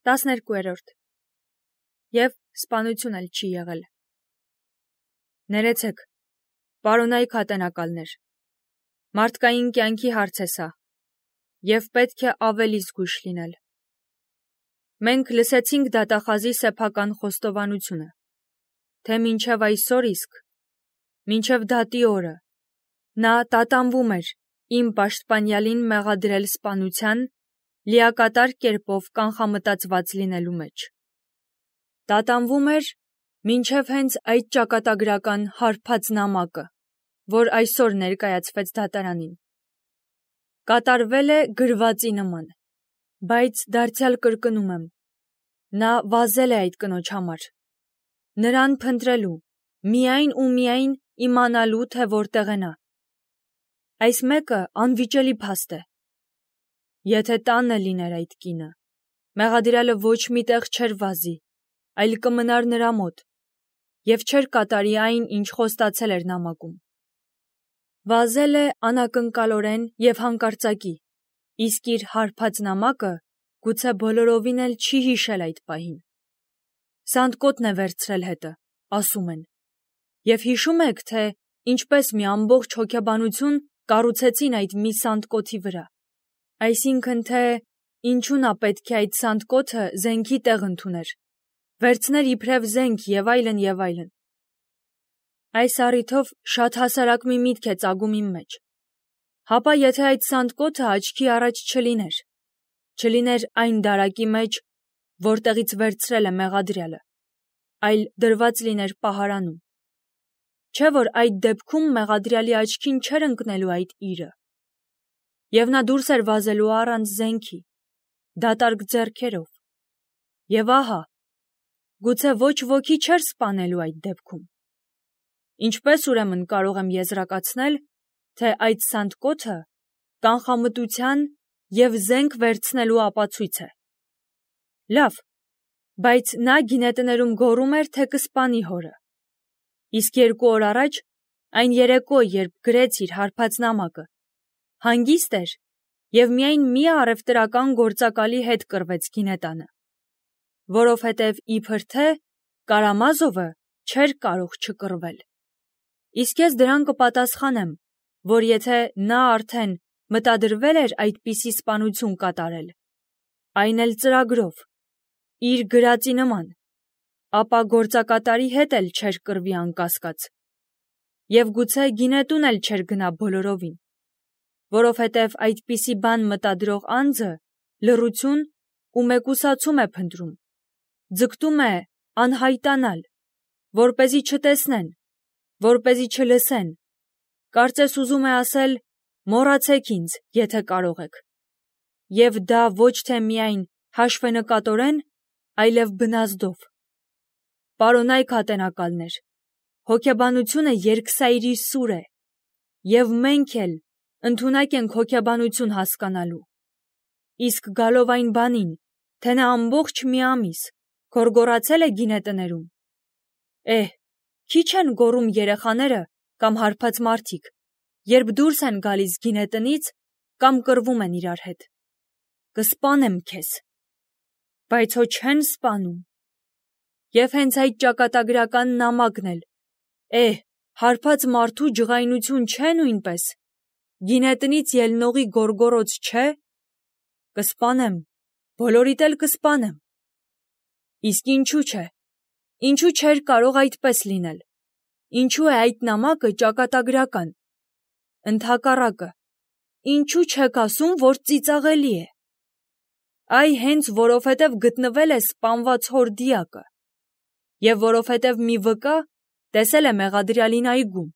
12. Եվ սպանություն էլ չի եղել։ Ներեցեք, պարոնայք հատենակալներ, մարդկային կյանքի հարց է սա, և պետք է ավելի զգույշ լինել։ Մենք լսեցինք դատախազի սեփական խոստովանությունը, թե մինչև այսօր իսկ, մինչև դատի օրը, նա տատանվում էր իմ պաշտպանյալին մեղադրել սպանության, լիակատար կերպով կանխամտածված լինելու մեջ։ Տատանվում էր մինչև հենց այդ ճակատագրական հարբած նամակը, որ այսօր ներկայացվեց դատարանին։ Կատարվել է գրվածի նման, բայց դարձյալ կրկնում եմ, նա վազել է այդ կնոջ համար, նրան փնտրելու, միայն ու միայն իմանալու, թե որտեղ է նա։ Այս մեկը անվիճելի փաստ է։ Եթե տանը լիներ այդ կինը, մեղադրյալը ոչ մի տեղ չէր վազի, այլ կմնար նրա մոտ, և չէր կատարի այն, ինչ խոստացել էր նամակում։ Վազել է անակնկալորեն և հանկարծակի, իսկ իր հարբած նամակը գուցե բոլորովին էլ չի հիշել այդ պահին։ Սանդկոտն է վերցրել հետը, ասում են, և հիշում եք, թե ինչպես մի ամբողջ հոգեբանություն կառուցեցին այդ մի սանդկոթի վրա, այսինքն թե ինչու նա պետք է այդ սանդկոթը զենքի տեղ ընդուներ, վերցներ իբրև զենք և այլն և այլն։ Այս առիթով շատ հասարակ մի միտք է ծագում իմ մեջ։ Հապա եթե այդ սանդկոթը աչքի առաջ չլիներ այն դարակի մեջ, որտեղից վերցրել է մեղադրյալը, այլ դրված լիներ պահարանում, չէ՞ որ այդ դեպքում մեղադրյալի աչքին չէր ընկնելու այդ իրը, և նա դուրս էր վազելու առանց զենքի, դատարկ ձեռքերով, և ահա, գուցե ոչ ոքի չէր սպանելու այդ դեպքում։ Ինչպես ուրեմն կարող եմ եզրակացնել, թե այդ սանդկոթը կանխամտության և զենք վերցնելու ապացույց է։ Լավ, բայց նա գինետներում գոռում էր, թե կսպանի հորը, իսկ 2 օր առաջ, այն երեկո, երբ գրեց իր հարբած նամակը, հանգիստ էր և միայն մի առևտրական գործակալի հետ կռվեց գինետանը, որովհետև իբր թե Կարամազովը չէր կարող չկռվել։ Իսկ ես դրան կպատասխանեմ, որ եթե նա արդեն մտադրվել էր այդպիսի սպանություն կատարել, այն էլ ծրագրով, իր գրածի նման, ապա գործակատարի հետ էլ չէր կռվի անկասկած, և գուցե գինետուն էլ չէր գնա բոլորովին, որովհետև այդպիսի բան մտադրող անձը լռություն ու մեկուսացում է փնտրում, ձգտում է անհայտանալ, որպեսզի չտեսնեն, որպեսզի չլսեն, կարծես ուզում է ասել. մոռացեք ինձ, եթե կարող եք, և դա ոչ թե միայն հաշվենկատորեն, այլև բնազդով։ Պարոնայք հատենակալներ, հոգեբանությունը երկսայրի սուր է, և մենք էլ ընդունակ ենք հոգեբանություն հասկանալու, իսկ գալով այն բանին, թե նա ամբողջ մի ամիս գոռգոռացել է գինետներում, քիչ են գոռում երեխաները կամ հարբած մարդիկ, երբ դուրս են գալիս գինետնից կամ կռվում են իրար հետ։ Կսպանեմ քեզ, բայց հո չեն սպանում։ Եվ հենց այդ ճակատագրական նամակն էլ, հարբած մարդու ջղայնություն չէ նույնպես, գինետնից ելնողի գոռգոռոց չէ։ Կսպանեմ, բոլորիդ էլ կսպանեմ։ Իսկ ինչու չէ, ինչու չէր կարող այդպես լինել, ինչու է այդ նամակը ճակատագրական, ընդհակառակը, ինչու չեք ասում, որ ծիծաղելի է։ Այ հենց որովհետև գտնվել է սպանված հոր դիակը, և որովհետև մի վկա տեսել է մեղադրյալին այգում,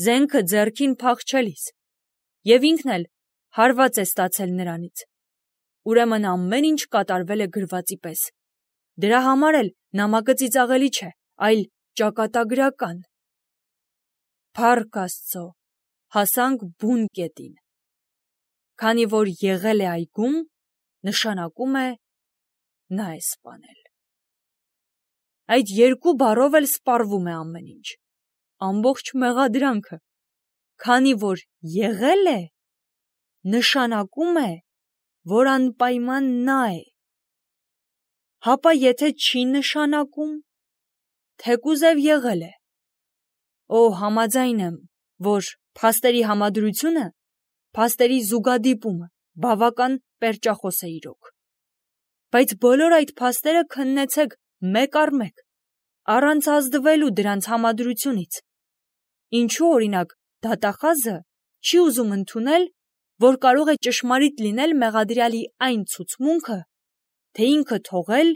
զենքը ձեռքին փախչելիս, և ինքն էլ հարված է ստացել նրանից, ուրեմն ամեն ինչ կատարվել է գրվածի պես, դրա համար էլ նամակը ծիծաղելի չէ, այլ ճակատագրական։ Փառք Աստծո, հասանք բուն կետին։ Քանի որ եղել է այգում, նշանակում է նա է սպանել։ Այդ 2 բառով էլ սպառվում է ամեն ինչ, ամբողջ մեղադրանքը, քանի որ եղել է, նշանակում է, որ անպայման նա է։ հապա եթե չի նշանակում, թեկուզև եղել է։ Համաձայն եմ, որ փաստերի համադրությունը, փաստերի զուգադիպումը բավական պերճախոս է իրոք։ Բայց բոլոր այդ փաստերը քննեցեք մեկ առ մեկ, առանց ազդվելու դրանց համադրությունից։ Ինչու օրինակ դատախազը չի ուզում ընդունել, որ կարող է ճշմարիտ լինել մեղադրյալի այն ցուցմունքը, թե ինքը թողել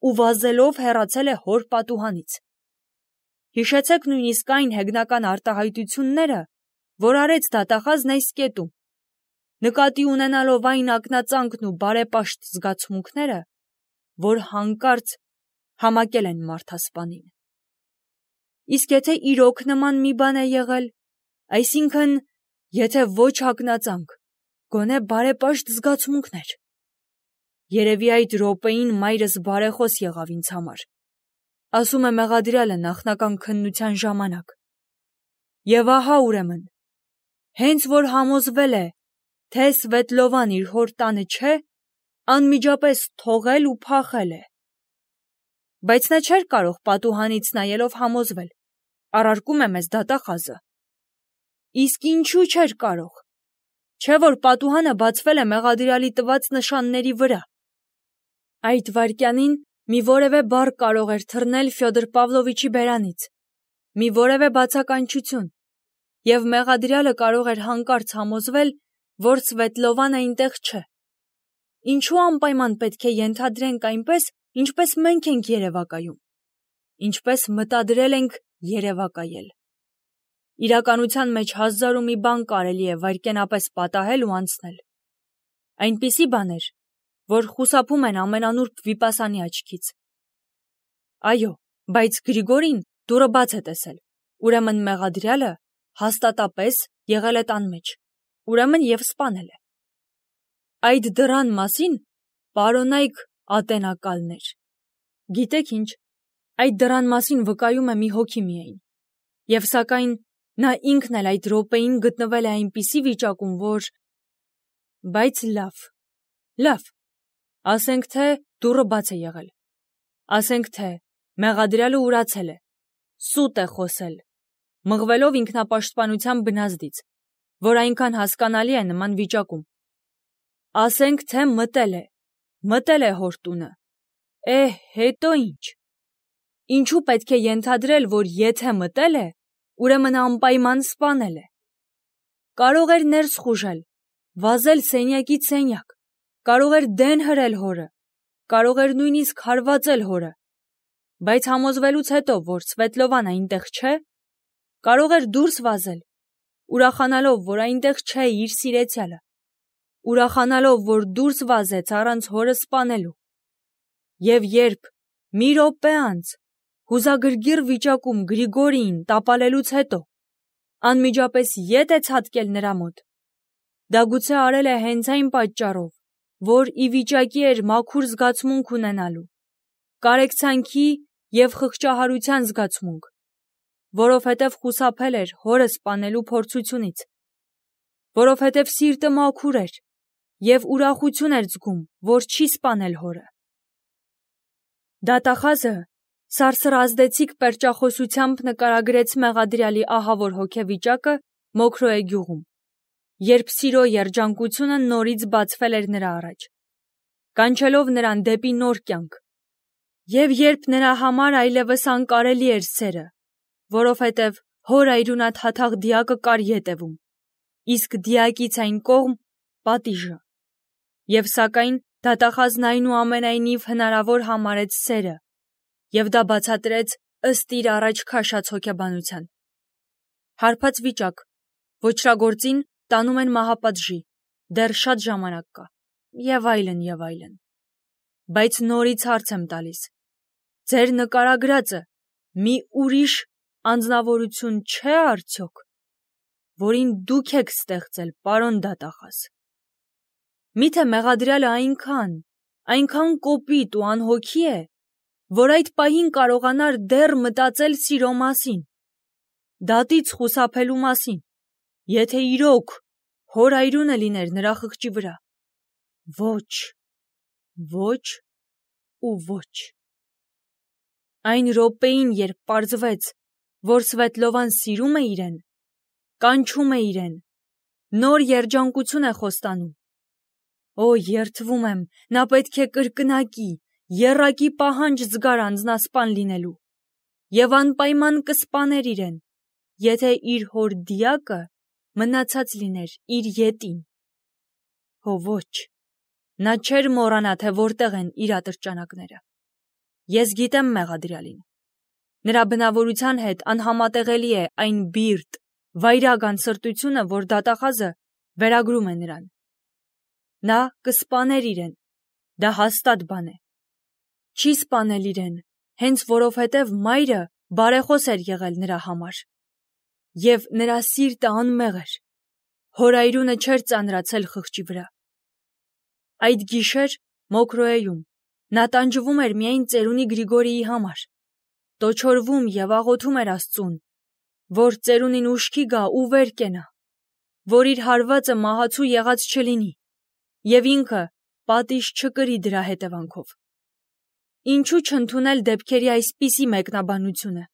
ու վազելով հեռացել է հոր պատուհանից։ Հիշեցեք նույնիսկ այն հեգնական արտահայտությունները, որ արեց դատախազն այս կետում, նկատի ունենալով այն ակնածանքն ու բարեպաշտ զգացմունքները, որ հանկարծ համակել են մարդասպանին։ Իսկ եթե իրոք նման մի բան է եղել, այսինքն, եթե ոչ ակնածանք, գոնե բարեպաշտ զգացմունքներ։ Երևի այդ րոպեին մայրս բարեխոս եղավ ինձ համար, ասում է մեղադրյալը նախնական քննության ժամանակ։ Եվ ահա ուրեմն, հենց որ համոզվել է, թե Սվետլովան իր հոր տանը չէ, անմիջապես թողել ու փախել է։ Բայց նա չէր կարող պատուհանից նայելով համոզվել, առարկում է մեզ դատախազը։ Իսկ ինչու չէր կարող, չէ որ պատուհանը բացվել է մեղադրյալի տված նշանների վրա։ Այդ վայրկյանին մի որևէ բառ կարող էր թռնել Ֆյոդոր Պավլովիչի բերանից, մի որևէ բացականչություն, և մեղադրյալը կարող էր հանկարծ համոզվել, որ Սվետլովան այնտեղ չէ։ Ինչու անպայման պետք է ենթադրենք այնպես, ինչպես մենք ենք երևակայում, ինչպես մտադրել ենք երևակայել։ Իրականության մեջ հազար ու մի բան կարելի է վայրկենապես պատահել ու անցնել։ Այնպիսի բաներ, որ խուսափում են ամենանուրբ վիպասանի աչքից։ Այո, բայց Գրիգորին դուռը բաց է տեսել, ուրեմն մեղադրյալը հաստատապես եղել է տան մեջ, ուրեմն և սպանել է։ Այդ դռան մասին, պարոնայք ատենակալներ, գիտեք ինչ, այդ դռան մասին վկայում է մի հոգի միայն, և սակայն նա ինքն էլ այդ րոպեին գտնվել է այնպիսի վիճակում, որ… Բայց լավ, ասենք թե դուռը բաց է եղել, ասենք թե մեղադրյալը ուրացել է, սուտ է խոսել, մղվելով ինքնապաշտպանության բնազդից, որ այնքան հասկանալի է նման վիճակում։ Ասենք թե մտել է հոր տունը, հետո ինչ։ Ինչու պետք է ենթադրել, որ եթե մտել է, ուրեմն անպայման սպանել է։ Կարող էր ներս խուժել, վազել սենյակից սենյակ, կարող էր դեն հրել հորը, կարող էր նույնիսկ հարվածել հորը, բայց համոզվելուց հետո, որ Սվետլովան այնտեղ չէ, կարող էր դուրս վազել, ուրախանալով, որ այնտեղ չէ իր սիրեցյալը, ուրախանալով, որ դուրս վազեց առանց հորը սպանելու։ Եվ երբ մի րոպե անց հուզագրգիռ վիճակում Գրիգորիին տապալելուց հետո անմիջապես ետ է ցատկել նրա մոտ, դա գուցե արել է հենց այն պատճառով, որ ի վիճակի էր մաքուր զգացմունք ունենալու, կարեկցանքի և խղճահարության զգացմունք, որովհետև խուսափել էր հորը սպանելու փորձությունից, որովհետև սիրտը մաքուր էր և ուրախություն էր զգում, որ չի սպանել հորը։ Դատախազը սարսռազդեցիկ պերճախոսությամբ նկարագրեց մեղադրյալի ահավոր հոգեվիճակը Մոքրոյե գյուղում, երբ սիրո երջանկությունը նորից բացվել էր նրա առաջ, կանչելով նրան դեպի նոր կյանք, և երբ նրա համար այլևս անկարելի էր սերը, որովհետև հոր այրունաթաթախ դիակը կար ետևում, իսկ դիակից այն կողմ պատիժը, և սակայն դատախազն այնուամենայնիվ հնարավոր համարեց սերը, և դա բացատրեց ըստ իր առաջ քաշած հոգեբանության։ Հարբած վիճակ, ոճրագործին տանում են մահապատժի, դեռ շատ ժամանակ կա, և այլն, և այլն։ Բայց նորից հարց եմ տալիս, ձեր նկարագրածը մի ուրիշ անձնավորություն չէ՞ արդյոք, որին դուք եք ստեղծել, պարոն դատախազ։ Միթե մեղադրյալը այնքան կոպիտ ու անհոգի է, որ այդ պահին կարողանար դեռ մտածել սիրո մասին, դատից խուսափելու մասին, եթե իրոք հոր այրունը լիներ նրա խղճի վրա։ Ոչ, ու ոչ։ Այն րոպեին, երբ պարզվեց, որ Սվետլովան սիրում է իրեն, կանչում է իրեն, նոր երջանկություն է խոստանում։ Օ, երդվում եմ, նա պետք է կրկնակի, եռակի պահանջ զգար անձնասպան լինելու և անպայման կսպաներ իրեն, եթե իր հոր դիակը մնացած լիներ իր ետին։ Հո ոչ, նա չէր մոռանա, թե որտեղ են իր ատրճանակները։ Ես գիտեմ մեղադրյալին։ Նրա բնավորության հետ անհամատեղելի է այն բիրտ, վայրագան սրտությունը, որ դատախազը վերագրում է նրան։ Նա կսպաներ իրեն, դա հաստատ բան է։ Չի սպանել իրեն, հենց որովհետև մայրը բարեխոս էր եղել նրա համար։ Եվ նրա սիրտը անմեղ էր, հորայրունը չէր ծանրացել խղճի վրա։ Այդ գիշեր Մոկրոեում նա տանջվում էր միայն ծերունի Գրիգորիի համար, տոչորվում և աղոթում էր Աստծուն, որ ծերունին ուշքի գա ու վեր կենա, որ իր հարվածը մահացու եղած չլինի, և ինքը պատիժ չկրի դրա հետևանքով։ Ինչու չընդունել դեպքերի այսպիսի մեկնաբանությունը։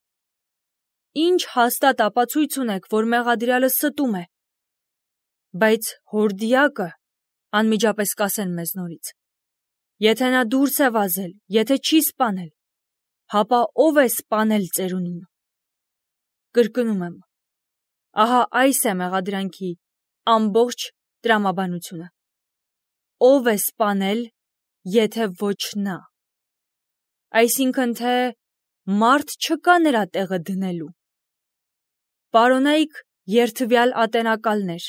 Ինչ հաստատ ապացույց ունեք, որ մեղադրյալը ստում է։ Բայց հոր դիակը, անմիջապես կասեն մեզ նորից, եթե նա դուրս է վազել, եթե չի սպանել, հապա ով է սպանել ծերունին։ Կրկնում եմ, ահա այս է մեղադրանքի ամբողջ տրամաբանությունը։ Ով է սպանել, եթե ոչ նա։ Այսինքն թե մարդ չկա նրա տեղը դնելու։ Պարոնայք երդվյալ ատենակալներ,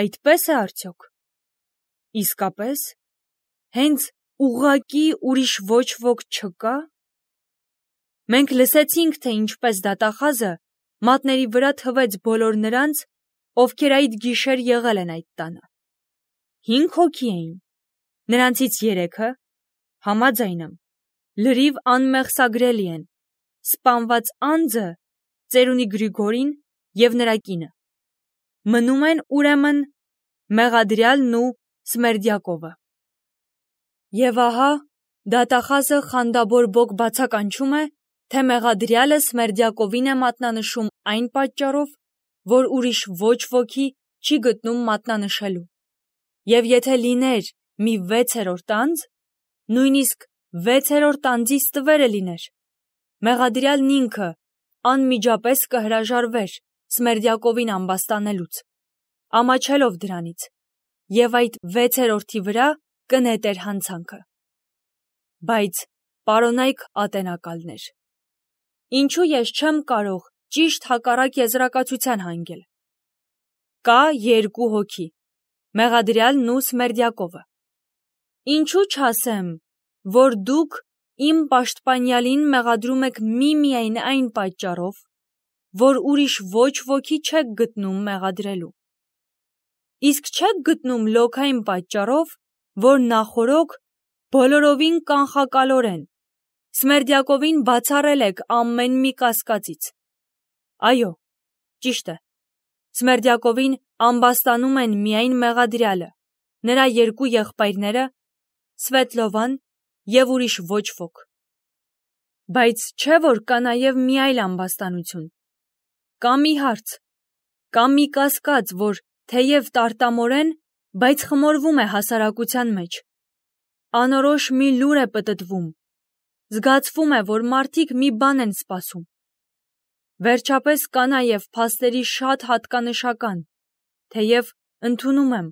այդպես է արդյոք։ Իսկապես, հենց ուղղակի ուրիշ ոչ ոք չկա։ Մենք լսեցինք, թե ինչպես դատախազը մատների վրա թվեց բոլոր նրանց, ովքեր այդ գիշեր եղել են այդ տանը։ 5 հոգի էին, նրանցից 3-ը, համաձայն եմ, լրիվ անմեղսագրելի են, սպանված անձը, ծերունի Գրիգորին և նրա կինը։ Մնում են ուրեմն մեղադրյալն ու Սմերդյակովը։ Եվ ահա դատախազը խանդաբոր բոկ բացականչում է, թե մեղադրյալը Սմերդյակովին է մատնանշում այն պատճառով, որ ուրիշ ոչ ոքի չի գտնում մատնանշելու։ Եվ եթե լիներ մի 6-րդ անձ, նույնիսկ 6-րդ անձի ստվերը լիներ, մեղադրյալն ինքը անմիջապես կհրաժարվեր Սմերդյակովին ամբաստանելուց, ամաչելով դրանից, և այդ 6-րդի վրա կնետեր հանցանքը։ Բայց պարոնայք ատենակալներ, ինչու ես չեմ կարող ճիշտ հակառակ եզրակացության հանգել։ Կա 2 հոգի, մեղադրյալն ու Սմերդյակովը։ Ինչու չասեմ, որ դուք իմ պաշտպանյալին մեղադրում եք միմիայն այն պատճառով, որ ուրիշ ոչ ոքի չեք գտնում մեղադրելու։ Իսկ չեք գտնում լոք այն պատճառով, որ նախօրոք բոլորովին կանխակալորեն Սմերդյակովին բացառել եք ամեն մի կասկածից։ Այո, ճիշտ է, Սմերդյակովին ամբաստանում են միայն մեղադրյալը, նրա 2 եղբայրները, Սվետլովան և ուրիշ ոչ ոք։ Բայց չէ՞ որ կա նաև մի այլ ամբաստանություն։ Կա մի հարց, կա մի կասկած, որ թեև տարտամորեն, բայց խմորվում է հասարակության մեջ։ Անորոշ մի լուր է պտտվում, զգացվում է, որ մարդիկ մի բան են սպասում։ Վերջապես կա նաև փաստերի շատ հատկանշական, թեև ընդունում եմ,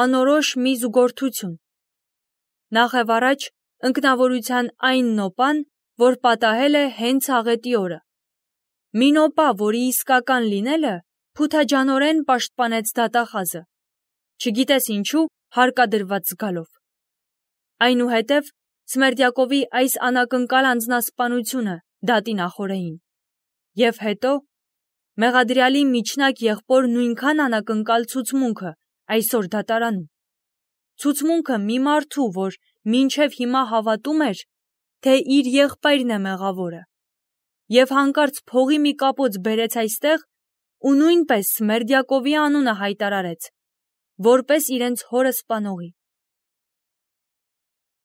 անորոշ մի զուգորդություն։ Նախևառաջ ընկնավորության այն նոպան, որ պատահել է հենց աղետի օրը։ Մի նոպա, որի իսկական լինելը փութաջանորեն պաշտպանեց դատախազը, չգիտես ինչու հարկադրված զգալով։ Այնուհետև Սմերդյակովի այս անակնկալ անձնասպանությունը դատի նախօրեին։ Եվ հետո մեղադրյալի միջնակ եղբոր նույնքան անակնկալ ցուցմունքը այսօր դատարանում։ Ցուցմունքը մի մարդու, որ մինչև հիմա հավատում էր, թե իր եղբայրն է մեղավորը, և հանկարծ փողի մի կապոց բերեց այստեղ ու նույնպես Սմերդյակովի անունը հայտարարեց, որպես իրենց հորը սպանողի։